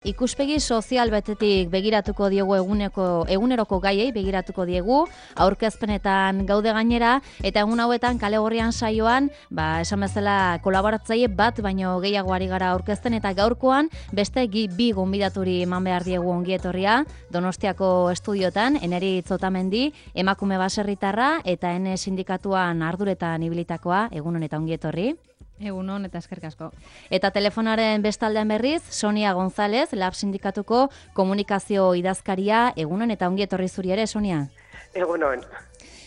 Ikuspegi sozial betetik begiratuko diegu eguneroko gaiei begiratuko diegu, aurkezpenetan gaude gainera, eta egun hauetan kale gorrian saioan, esan bezala kolaboratzaile bat baino gehiago ari gara aurkezten, eta gaurkoan beste bi gonbidaturi eman behar diegu ongietorria, Donostiako estudiotan, Eneritz Otamendi, emakume baserritarra, eta Ene sindikatuan arduretan ibilitakoa, egun honetan ongietorri. Egunon eta eskerrik asko. Eta telefonaren bestaldean berriz, Sonia González, Lab Sindikatuko komunikazio idazkaria, egunon eta ongi etorri zuri ere, Sonia. Egunon.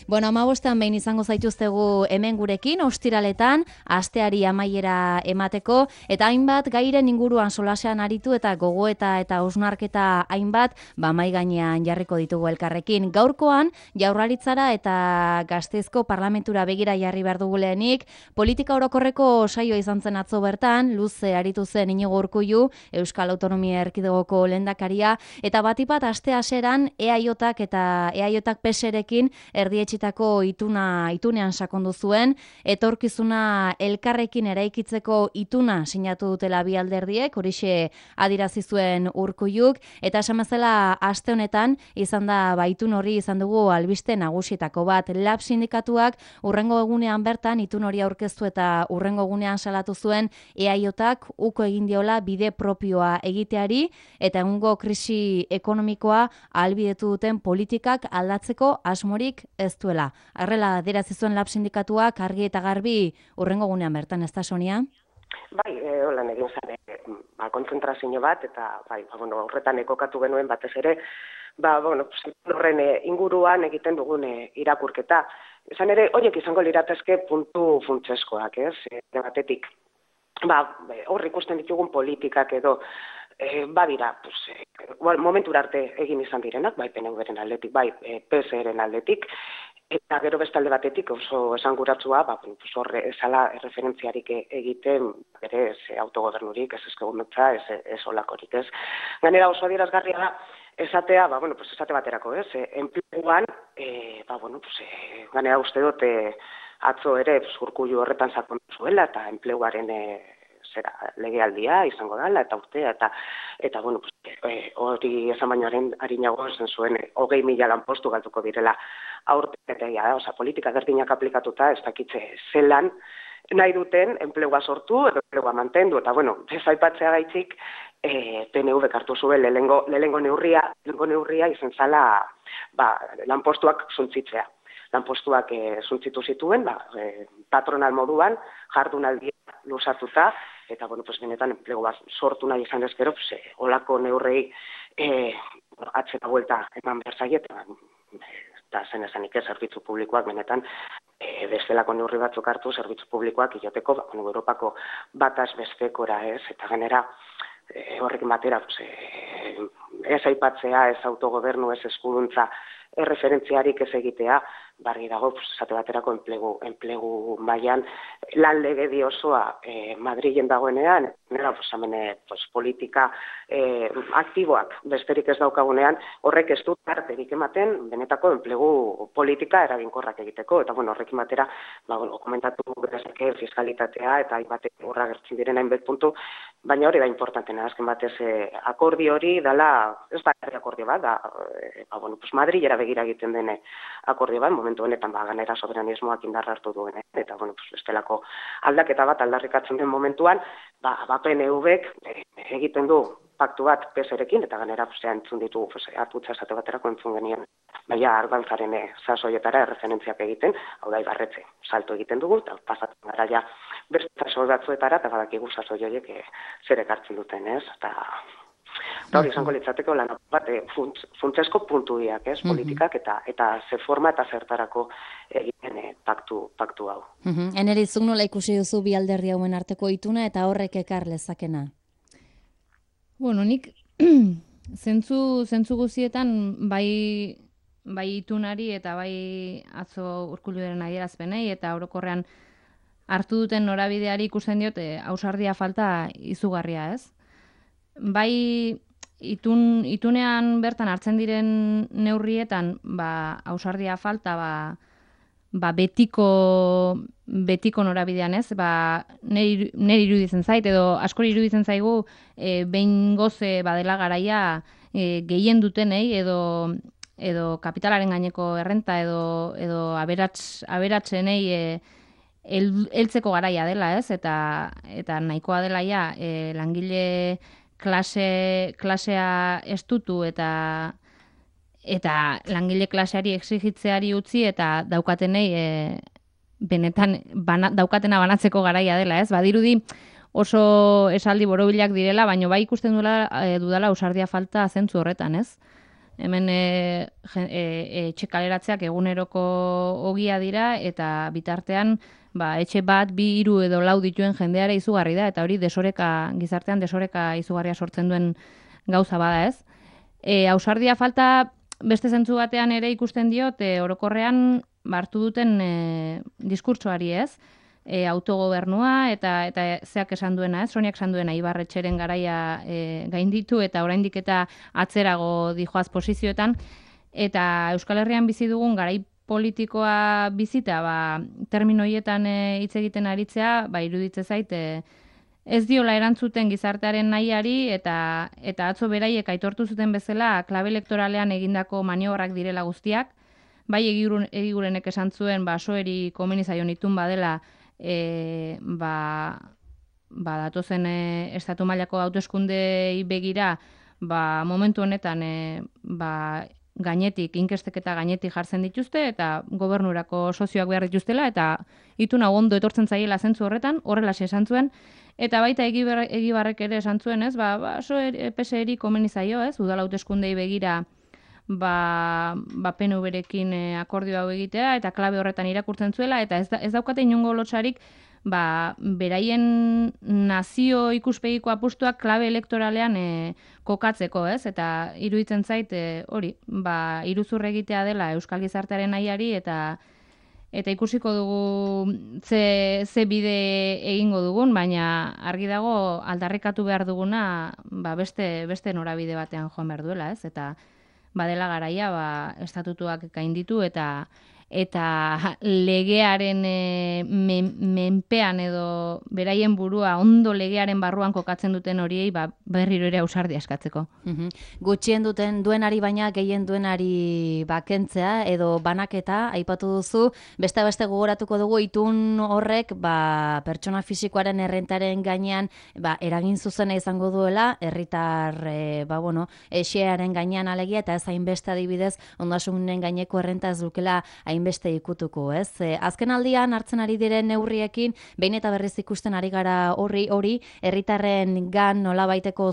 Bueno, 15 behin izango zaituztegu hemen gurekin, ostiraletan, asteari amaiera emateko, eta hainbat gairen inguruan solasean aritu eta gogoeta eta hausnarketa hainbat, mai gainean jarriko ditugu elkarrekin. Gaurkoan, Jaurlaritzara eta Gasteizko Parlamentura begira jarri behar dugu lehenik, politika orokorreko saioa izan zen atzo bertan, luze aritu zen Inigo Urkullu, Euskal Autonomia Erkidegoko lehendakaria, eta batipat aste haseran EAJak eta EAJak PSrekin erdietxitako itunean sakondu zuen, etorkizuna elkarrekin eraikitzeko ituna sinatu dutela bi alderdiek, horixe adirazi zuen Urkulluk, eta esan bezala aste honetan izan da itun hori izan dugu albiste nagusietako bat. Lab sindikatuak urrengo egunean bertan itun hori aurkeztu eta urrengo egunean salatu zuen EAJak uko egin diola bide propioa egiteari eta egungo krisi ekonomikoa ahalbidetu duten politikak aldatzeko asmorik ez duela. Arrela adirazi zuen Lab sindikatuak argi eta garbi urrengo egunean bertan, ez da, Sonia? Bai, holan egin zen, kontzentrazio bat, eta horretan ekokatu genuen batez ere, horren inguruan egiten dugun irakurketa. Izan ere, horiek izango liratezke puntu funtseskoak, ez? Batetik, hor ikusten ditugun politikak edo, badira, momentura arte egin izan direnak, bai PNV-ren aldetik, bai PSren aldetik, eta gero bestalde batetik oso esanguratsua, horre esala referentziarik egiten, bere autogobernurik, ez ezkegumetza, ez olakorik, ez. Gainera oso adierazgarria da, esatea, esate baterako, ez, enpleguan, gainera uste dut atzo ere Urkullu horretan sakondu zuela, eta enpleguaren legealdia izango dela, eta urtea, eta hori esan bainoaren harinago esan zuen 20.000 lanpostu galduko direla aurtetea, politika berdinak aplikatuta, ez dakitze zelan nahi duten enplegua sortu, edo enplegua mantendu, eta ez aipatzea gaitzik, PNV hartu zuen lehengo neurria izan zala lanpostuak suntzitzea. Lanpostuak suntzitu zituen, patronal moduan, jardunaldia luzatuta, eta benetan enplegu bat sortu nahi izan ezkero, olako neurrei atzera buelta eman behar zaiet, eta zen esanik ez, zerbitzu publikoak benetan bestelako neurri batzuk hartu, zerbitzu publikoak iloteko, Europako bataz bestekora ez, eta ganera horrekin batera, ez aipatzea, ez autogobernu, ez eskuduntza, erreferentziarik ez egitea, barri dago, esate baterako enplegu mailan lan legedi osoa Madrilen dagoenean, politika aktiboak besterik ez daukagunean, horrek ez dut arterik ematen benetako enplegu politika eraginkorrak egiteko, eta horrekin batera, komentatu bezake fiskalitatea, eta hainbat horra gertzen diren hainbat puntu, baina hori da importantena, azken batez akordio hori dela, ez da akordio bat, Madrilera begira egiten dene akordio bat, momentu honetan ganera soberanismoak indarra hartu duen, eta bestelako aldaketa bat aldarrikatzen den momentuan, PNV-ek egiten du paktu bat PSrekin, eta ganera entzun ditu atutza esate baterako entzun genien, ardantzaren sasoietara erreferentziak egiten, hau da ibarretxe, salto egiten dugu, eta pasatzen gara beste sasoi batzuetara, eta badakigu sasoi horiek zer ekartzen duten, ez? Eta hori izango litzateko lan bat funtsesko puntuiak, ez, politikak eta ze forma eta zertarako egiten paktu hau. Eneritz, zuk nola ikusi duzu bi alderdi hauen arteko ituna eta horrek ekar lezakena? Nik zentzu guztietan bai itunari eta bai atzo Urkulluren adierazpenei eta orokorrean hartu duten norabideari ikusten diot ausardia falta izugarria, ez? Bai itunean bertan hartzen diren neurrietan ausardia falta betiko norabidean, ez? Neri iruditzen zait, edo askori iruditzen zaigu behin goze badela garaia gehien dutenei, edo kapitalaren gaineko errenta, edo aberatsenei heltzeko garaia dela, ez? Eta nahikoa dela ja, langile klasea estutu eta langile klaseari exigitzeari utzi eta daukatenei benetan daukatena banatzeko garaia dela, ez? Badirudi oso esaldi borobilak direla, baina bai ikusten dudala ausardia falta zentzu horretan, ez? Hemen etxe kaleratzeak eguneroko ogia dira eta bitartean etxe bat, 2, 3 edo 4 dituen jendeara izugarri da, eta hori gizartean desoreka izugarria sortzen duen gauza bada, ez? Ausardia falta beste zentzu batean ere ikusten diot, orokorrean hartu duten diskurtsoari, ez? Autogobernua eta zeak esan duena, ez? Soniak esan duena Ibarretxeren garaia gainditu eta oraindik eta atzerago dijoaz posizioetan, eta Euskal Herrian bizi dugun garai politikoa bizita, termino horietan hitz egiten aritzea, iruditze zait, ez diola erantzuten gizartearen nahiari eta atzo beraiek aitortu zuten bezala klabe elektoralean egindako maniobrak direla guztiak, bai egigurenek esan zuen soeri komeni zaion itun badela datozen estatu mailako hauteskundei begira momentu honetan gainetik, inkesteketa gainetik jartzen dituzte eta gobernurako sozioak behar dituztela eta itun hau ondo etortzen zaiela zentzu horretan, horrelaxe esan zuen. Eta baita Egibarrek ere esan zuen, ez? PSeri komeni zaio, ez? Udal hauteskundei begira PNV-rekin akordio hau egitea eta klabe horretan irakurtzen zuela eta ez daukate inongo lotsarik beraien nazio ikuspegiko apustuak klabe elektoralean kokatzeko, ez? Eta iruditzen zait hori, iruzur egitea dela euskal gizartearen nahiari eta ikusiko dugu ze bide egingo dugun, baina argi dago aldarrikatu behar duguna beste norabide batean joan behar duela, ez? Eta badela garaia estatutuak gainditu eta legearen menpean edo beraien burua ondo legearen barruan kokatzen duten horiei berriro ere ausardia eskatzeko. Gutxien duenari baina gehien duenari kentzea edo banaketa aipatu duzu, beste gogoratuko dugu itun horrek pertsona fisikoaren errentaren gainean eragin zuzena izango duela, herritar xearen gainean alegia eta ez hainbeste adibidez ondasunen gaineko errenta ez dukela hainbeste ikutuko, ez? Azken aldian hartzen ari diren neurriekin, behin eta berriz ikusten ari gara hori, herritarren gan nolabaiteko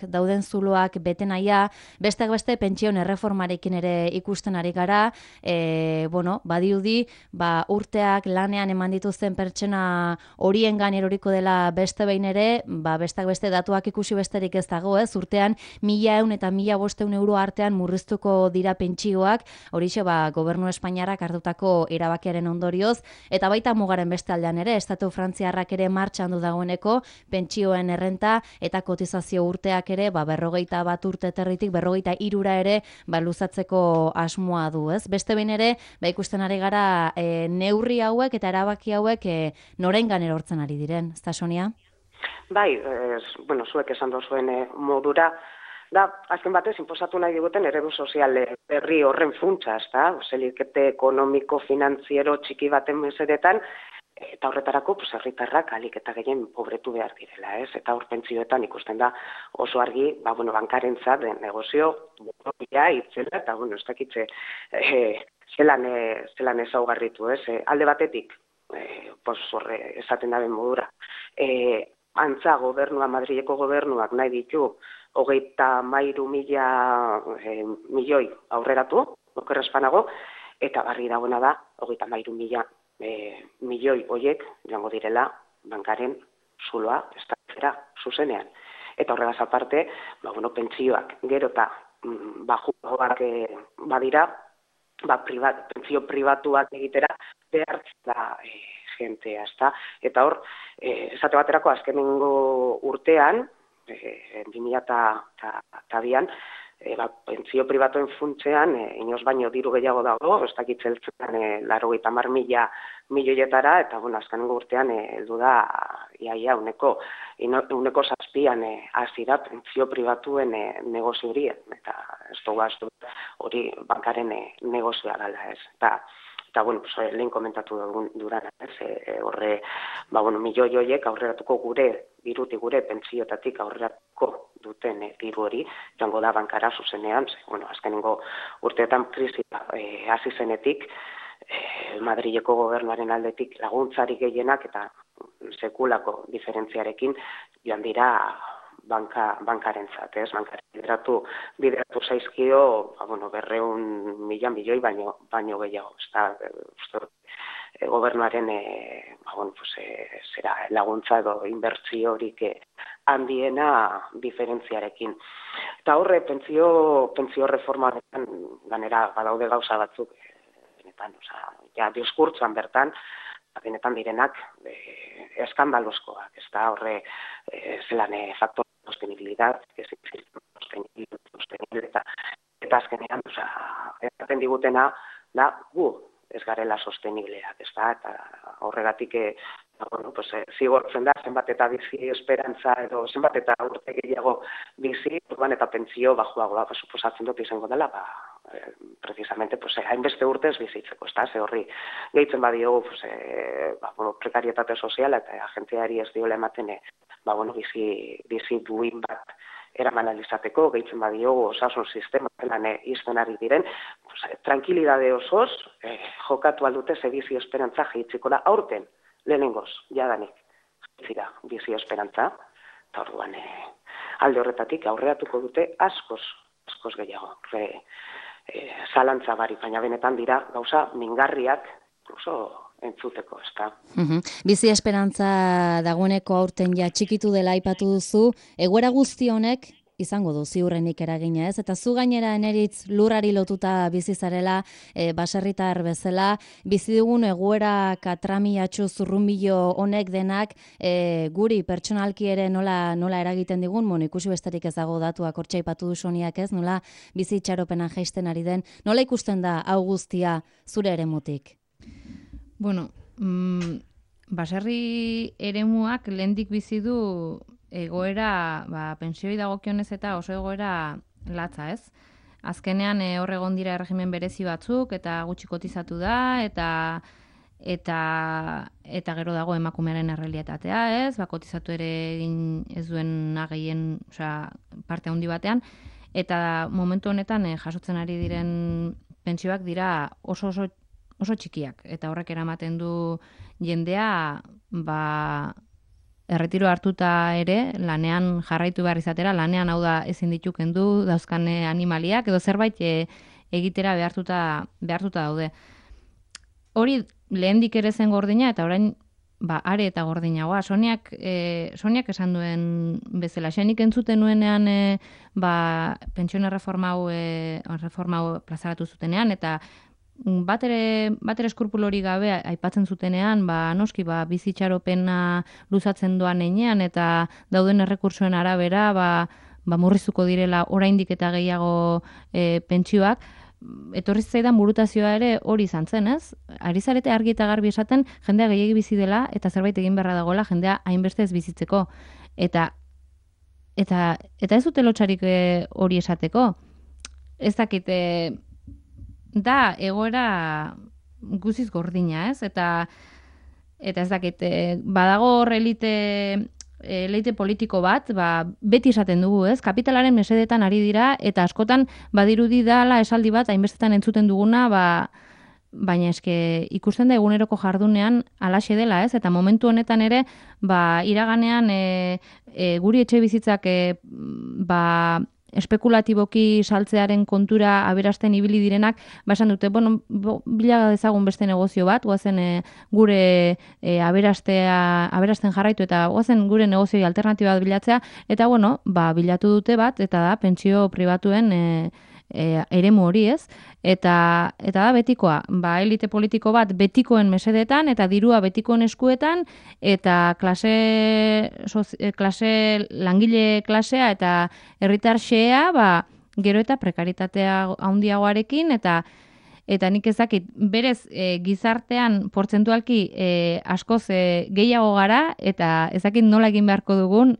dauden zuloak bete nahia, besteak beste pentsioen erreformarekin ere ikusten ari gara, badiudi, urteak lanean eman dituzten pertsona horien gan eroriko dela beste behin ere, besteak beste datuak ikusi besterik ez dago, ez? Urtean 1.100 eta 1.500 euro artean murriztuko dira pentsioak, horixe gobernu Espainiarrak hartutako erabakiaren ondorioz, eta baita mugaren beste aldean ere, estatu frantziarrak ere martxan du dagoeneko, pentsioen errenta eta kotizazio urteak ere, 41 urte territik 43 ere, luzatzeko asmoa du, ez? Beste behin ere, ikusten ari gara neurri hauek eta erabaki hauek norengan erortzen ari diren, ezta Sonia? Bai, zuek esan dozuen modura, azken batez, inposatu nahi diguten eredu sozial berri horren funtsa, zelikete ekonomiko, finantziero txiki baten mesedetan, eta horretarako herritarrak alik eta gehien pobretu behar direla, ez? Eta hor pentsioetan ikusten da oso argi, bankarentzat negozio, itzela, eta ez dakitze zelan ezaugarritu, ez? Alde batetik, horre esaten daben modura, antza gobernua, Madrileko gobernuak nahi ditu 33.000 milioi aurreratu, oker espanago, eta barri dagoena da, 33.000 milioi horiek joango direla bankaren zuloa estatzera zuzenean. Eta horregaz aparte, pentsioak gero eta bajuagoak badira, pentsio pribatuak egitera behartzen da jentea, ezta? Eta hor, esate baterako azkenengo urtean, 2002an, pentsio pribatuen funtsean, inoz baino diru gehiago dago, ez dakit zeltzen 90.000 milioietara, eta azkenengo urtean heldu da iaia uneko 7an hasi da pentsio pribatuen negozio hori, eta ez dugu hori bankaren negozioa dela, ez. Eta, lehen komentatu duran, horre, milioi horiek aurreratuko dirutik gure pentsioetatik aurreratuko duten diru hori, joango da bankara zuzenean, azkenengo urteetan krisia hasi zenetik, Madrileko gobernuaren aldetik laguntzarik gehienak eta sekulako diferentziarekin joan dira bankarentzat, ez? Bankaren bideratu zaizkio, 200.000 milioi baino gehiago, gobernuaren laguntza edo inbertsiorik handiena diferentziarekin. Eta horre, pentsio reformaren ganera badaude gauza batzuk, diskurtsoan bertan, benetan direnak eskandaloskoak, ez da horre zelan faktor sostenibilidad, eta azkenean, eraten digutena, da gu ez garela sostenibleak, ez da, eta horregatik zigortzen da, zenbat eta bizi esperantza, edo zenbat eta urte gehiago bizi, eta pentsio bajuagoa, suposatzen dut izango dela, precisamente, hainbeste urtez bizitzeko, ez da, ze horri gehitzen badiogu, prekarietate soziala eta agentziari ez diola ematen, bizi duin bat eraman alizateko, gehitzen badiogu osasun sistema zelan izten ari diren, tranquilidade osoz, jokatu aldute ze bizi esperantza gehitziko da aurten, lehenengoz, jadanik, zira, bizi esperantza, eta orduan alde horretatik aurreratuko dute askoz gehiago, zalantza barik, baina benetan dira gauza mingarriak, incluso entzuteko, ez da. Bizi esperantza dagoeneko aurten ja txikitu dela aipatu duzu, egoera guzti honek izango du ziurrenik eragina, ez? Eta zu gainera Eneritz lurrari lotuta bizi zarela, baserritar bezala, bizi dugun egoera katramiatxu zurrunbilo honek denak guri pertsonalki ere nola eragiten digun, ikusi besterik ez dago datuak hortxe aipatu du Soniak, ez? Nola bizi itxaropena jaisten ari den, nola ikusten da hau guztia zure eremutik? Bueno, baserri eremuak lehendik bizi du egoera, pentsioi dagokionez eta oso egoera latza, ez? Azkenean hor egon dira erregimen berezi batzuk eta gutxi kotizatu da eta gero dago emakumearen errealitatea, ez? Kotizatu ere egin ez duen gehien, parte handi batean, eta momentu honetan jasotzen ari diren pentsioak dira oso txikiak, eta horrek eramaten du jendea, erretiro hartuta ere, lanean jarraitu behar izatera, lanean hau da ezin ditu kendu dauzkan animaliak, edo zerbait egitera behartuta daude. Hori lehendik ere zen gordina, eta orain are eta gordinagoa. Soniak esan duen bezala, xenik entzuten nuenean pentsione reforma hau plazaratu zutenean, eta bat ere eskrupulori gabe aipatzen zutenean, noski bizitxaropena luzatzen doan heinean eta dauden errekursoen arabera murrizuko direla oraindik eta gehiago pentsioak, etorri zaidan burutazioa ere hori izan zen, ez? Ari zarete argi eta garbi esaten jendea gehiegi bizi dela eta zerbait egin beharra dagoela jendea hainbeste ez bizitzeko. Eta ez dute lotsarik hori esateko. Ez dakit da egoera guziz gordina, ez? Eta ez dakit, badago hor elite politiko bat, beti esaten dugu, ez? Kapitalaren mesedetan ari dira, eta askotan badirudi dala esaldi bat, hainbestetan entzuten duguna, baina eske ikusten da eguneroko jardunean alaxe dela, ez? Eta momentu honetan ere, iraganean guri etxe bizitzak espekulatiboki saltzearen kontura aberasten ibili direnak, esan dute, bila dezagun beste negozio bat, guazen gure aberasten jarraitu eta guazen gure negozioi alternatiba bat bilatzea, eta bilatu dute bat, eta da pentsio pribatuen eremu hori, ez? Eta da betikoa, elite politiko bat betikoen mesedetan eta dirua betikoen eskuetan eta klase langile klasea eta herritar xea gero eta prekaritatea handiagoarekin, eta nik ezakit, berez gizartean portzentualki askoz gehiago gara, eta ezakit nola egin beharko dugun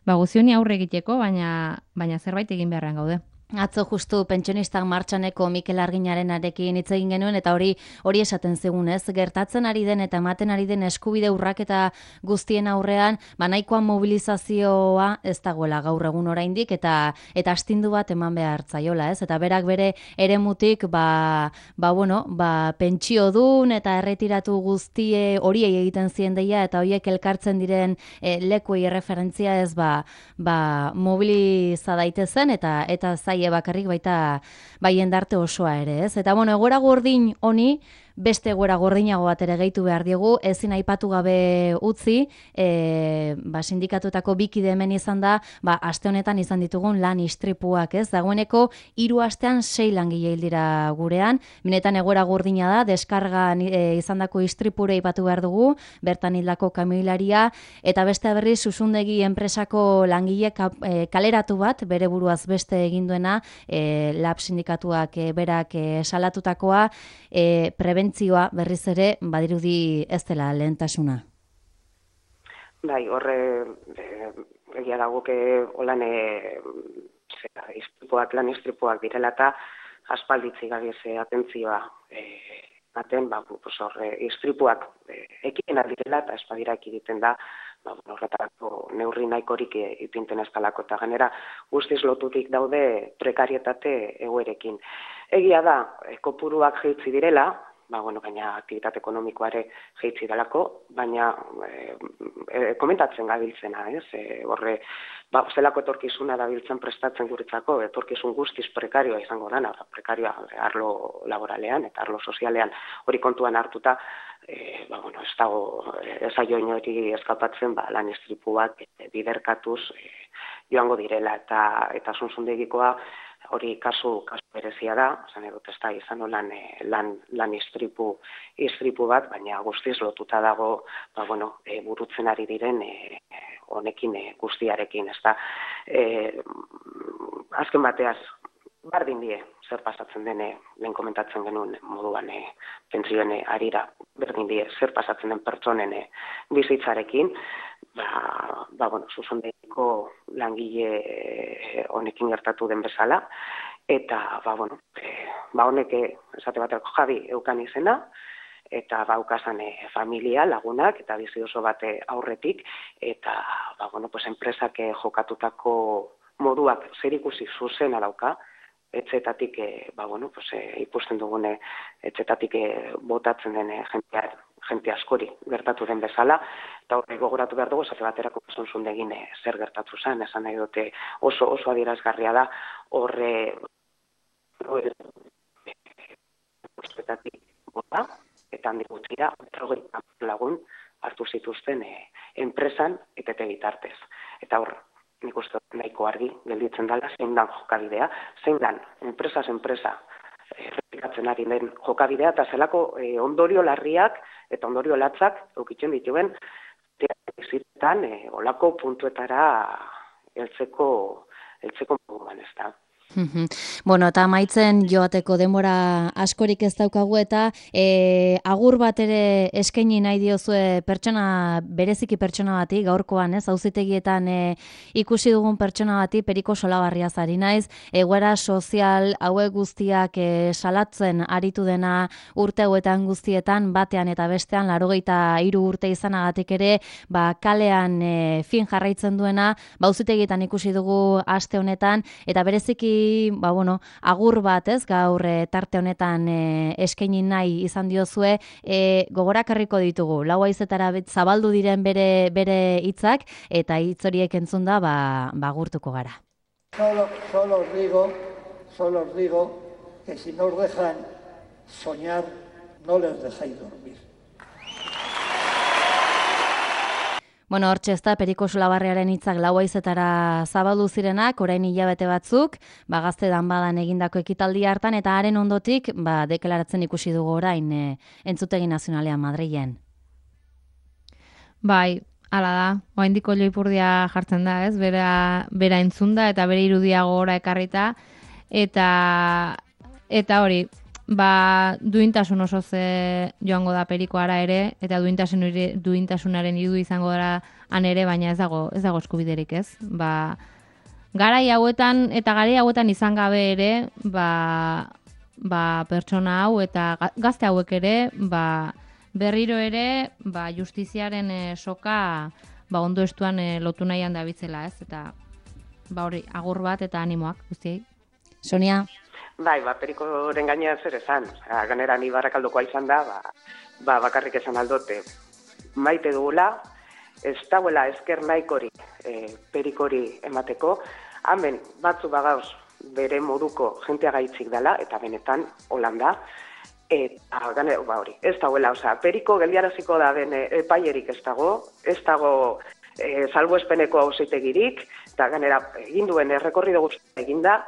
guzioni aurre egiteko, baina zerbait egin beharrean gaude. Atzo justu pentsionistak martxaneko Mikel Arginarenarekin hitz egin genuen eta hori esaten zigun, ez? Gertatzen ari den eta ematen ari den eskubide urraketa guztien aurrean, nahikoa mobilizazioa ez dagoela gaur egun oraindik eta astindu bat eman behar zaiola, ez? Eta berak bere eremutik pentsiodun eta erretiratu guztie horiei egiten zien deia eta horiek elkartzen diren lekuei erreferentzia ez mobiliza daitezen eta zai bakarrik baita jendarte osoa ere, ez? Eta egoera gordin honi beste egoera gordinago bat ere gehitu behar diegu, ezin aipatu gabe utzi, sindikatuetako bikide hemen izan da, aste honetan izan ditugun lan istripuak, ez? Dagoeneko 3 astean 6 langile hil dira gurean, benetan egoera gordina da, deskargan izandako istripure aipatu behar dugu, bertan hildako kamioilaria, eta beste berriz Zuzundegi enpresako langile kaleratu bat, bere buruaz beste egin duena, lab sindikatuak berak salatutakoa, prebentzioa berriz ere badirudi ez dela lehentasuna. Bai, horre egia dago lan istripuak direla eta aspalditzi gabiz atentzioa ematen, horre istripuak ekimenak direla eta espadira ekiditen da, horretarako neurri nahikorik ipinten ez dalako eta gainera guztiz lotutik daude prekarietate egoerekin. Egia da, kopuruak jaitsi direla, baina aktivitate ekonomikoare jaitsi dalako, baina komentatzen gabiltzena, ez? Horre, zelako etorkizuna dabiltzen prestatzen guretzako, etorkizun guztiz prekarioa izango dana, prekarioa arlo laboralean eta arlo sozialean hori kontuan hartuta, ez dago ezaio inori eskapatzen lan istripuak biderkatuz joango direla eta Zuzundegikoa hori kasu berezia da, esan edut ez da izan lan istripu bat, baina guztiz lotuta dago burutzen ari diren honekin guztiarekin, ez da. Azken bateaz, bardin die, zer pasatzen dene, lehen komentatzen genuen moduan pentsioen arira, berdin die, zer pasatzen den pertsonen bizitzarekin, Zuzundegiko langile honekin gertatu den bezala, eta honek esate baterako Javi eukan izena, eta baukazan familia, lagunak, eta bizi oso bate aurretik, eta enpresak jokatutako moduak zer ikusi zuzena dauka, etxetatik ikusten dugune etxetatik botatzen den jente askori gertatu den bezala, eta horre gogoratu behar dugu, esate baterako Zuzundegin zer gertatu zen, esan nahi dute oso adierazgarria da, horre etxetatik bota, eta handik gutxira, 30 lagun hartu zituzten enpresan etete bitartez. Eta hor, nik uste nahiko argi gelditzen dela, zein dan jokabidea, zein dan enpresaz enpresa errepikatzen ari den jokabidea, eta zelako ondorio larriak eta ondorio latzak eukitzen dituen ziretan olako puntuetara heltzeko moduan, ez da. Eta amaitzen joateko denbora askorik ez daukagu eta agur bat ere eskaini nahi diozue bereziki pertsona bati, gaurkoan, ez, auzitegietan ikusi dugun pertsona bati, Periko Solabarriaz ari naiz, egoera sozial hauek guztiak salatzen aritu dena urte hauetan guztietan, batean eta bestean, 83 urte izanagatik ere, kalean fin jarraitzen duena, auzitegietan ikusi dugu aste honetan, eta bereziki agur bat, ez, gaur tarte honetan eskaini nahi izan diozue, gogorakarriko ditugu, 4 haizetara zabaldu diren bere hitzak, eta hitz horiek entzunda agurtuko gara. Solo os digo que si no os dejan soñar, no les dejáis dormir. Hortxe ez da, Periko Solabarriaren hitzak 4 haizetara zabaldu zirenak, orain hilabete batzuk, Gazte Danbadan egindako ekitaldi hartan, eta haren ondotik, deklaratzen ikusi dugu orain entzutegi nazionalean Madrilen. Bai, Hala da, oraindik ipurdia jartzen da, ez? Bera entzunda eta bere irudia gogora ekarrita eta hori, duintasun osoz joango da perikoara ere eta duintasunaren irudu izango dara han ere, baina ez dago eskubiderik, ez? Garai hauetan izan gabe ere, pertsona hau eta gazte hauek ere, berriro ere, justiziaren soka ondo estuan lotu nahian dabitzela, ez? Eta hori, agur bat eta animoak, guztiei. Sonia? Bai, perikoren gainean zer esan. Ganera ni Barrakaldokoa izan da, bakarrik esan aldote. Maite dugula, ez dauela esker nahikori perikori emateko. Hemen batzu bagauz bere moduko jentea gaitzik dela, eta benetan Holanda. Eta hori, ez dauela, periko geldiaraziko da den epaierik ez dago salbuespeneko auzitegirik, eta ganera egin duen errekorrido guztia eginda,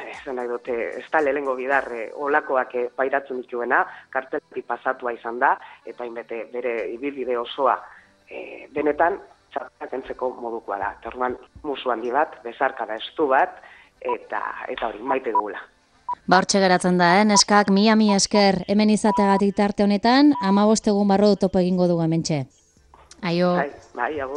esan nahi dute, ez da lehengo bidar olakoak pairatzen dituena, kartelari pasatua izan da, eta inbete bere ibilbide osoa benetan txartak entzeko modukoa da. Eta orduan musu handi bat, bezarka da estu bat, eta hori, maite dugula. Hortxe geratzen da, neskak, mila esker hemen izateagatik tarte honetan, 15 egun barru topo egingo dugu hementxe. Aio. Bai, agur.